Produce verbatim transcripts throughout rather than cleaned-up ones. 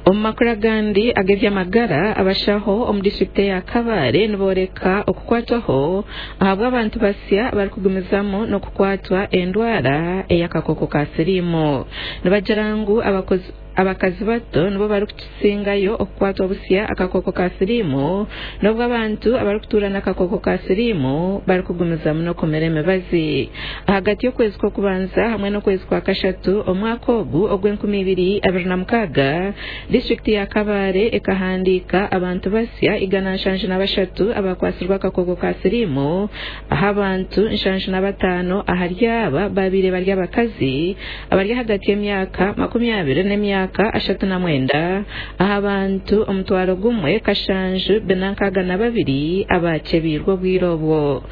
Omu makuru agandi ag'eby'amagara, abashaho omu disiturikiti eya Kabale niboreka okukwatwaho ahabw'abantu basya abarikugumizamu n'okukwatwa endwara ey'akakooko ka siriimu. Nibagira ngu abakozi abakazi bato nibo barikukisingayo okukwatwa busya akakooko ka siriimu, n'obwo abantu abarikutuura n'akakooko ka siriimu barikugumizamu n'okumira emibazi. Ahagati y'okwezi kw'okubanza hamwe n'okwezi kwa kashatu omwaka ogu ogw'enkumi ibiri abiri na mukaaga, disiturikiti ya Kabale ekahandiika abantu basya igana nshanju na bashatu abakwatsirwe akakooko ka siriimu, aho abantu nshanju na bataano ahari aba babaire bari abakazi abari ahagati y'emyaka makumi abiri n'emyaka ashatu na mwenda, aha bantu omutwaro gumwe kashanju bina nkaaga na babiri abakyebiirwe obwire obwo.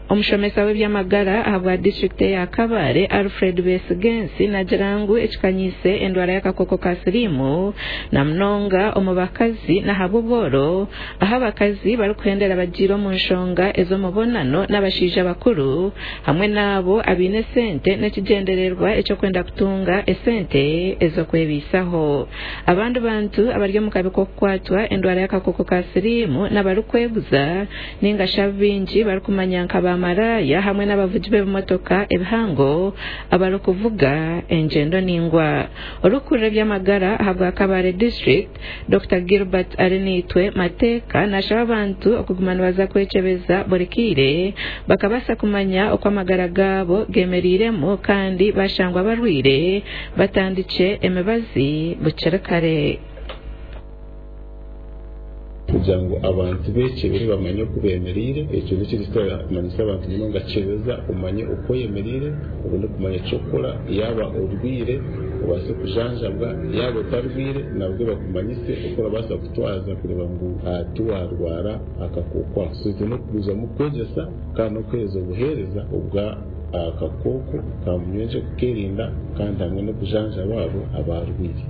Omushomesa w'eby'amagara ahabwa disiturikiti eya Kabale, Alfred Besigensi, nagira ngu ekikanyiise endwara y'akakooko ka siriimu na munonga omu bakazi n'ahabw'obworo, aho abakazi barikuhendera bagiire omu nshonga ez'omubonano n'abashaija bakuru hamwe n'abo abaine esente n'ekigyendererwa eky'okwenda kutunga esente ez'okwebaisaho. Abandi bantu abari omu kabi k'okukwatwa endwara y'akakooko ka siriimu n'abarikweguza ninga shi abu baingi barikumanya nka bamaraya hamwe n'abavugi b'ebimotoka ebihango abarikuvuga engyendo ningwa. Orikukurira eby'amagara ahabwa Kabale district, Doctor Gilbert Arinaitwe Mateeka, nashaba abantu okuguma nibaza kwekyebeza buri kaire bakabaasa kumanya oku amagara gaabo gemereiremu, kandi bashangwa barwire batandikye emibazi bukiri kare. Kugira ngu abantu bekyebere bamanye oku bemereire, ekyo nikyo abantu munonga. Kyebeza omanye oku oyemereire, obone kumanya ekyokukora. Yaaba orwire obaase kujanjabwa, yaaba otarwire nabwo bakumanyise oku orabaasa kutwaza kureba ngu tiwarwara akakooko ako. So twine okugumizamu kwegyesa kandi n'okuheereza obuheereza obwa akakooko ka munywegye, kukerinda kandi hamwe n'okujanjaba abo abarwire.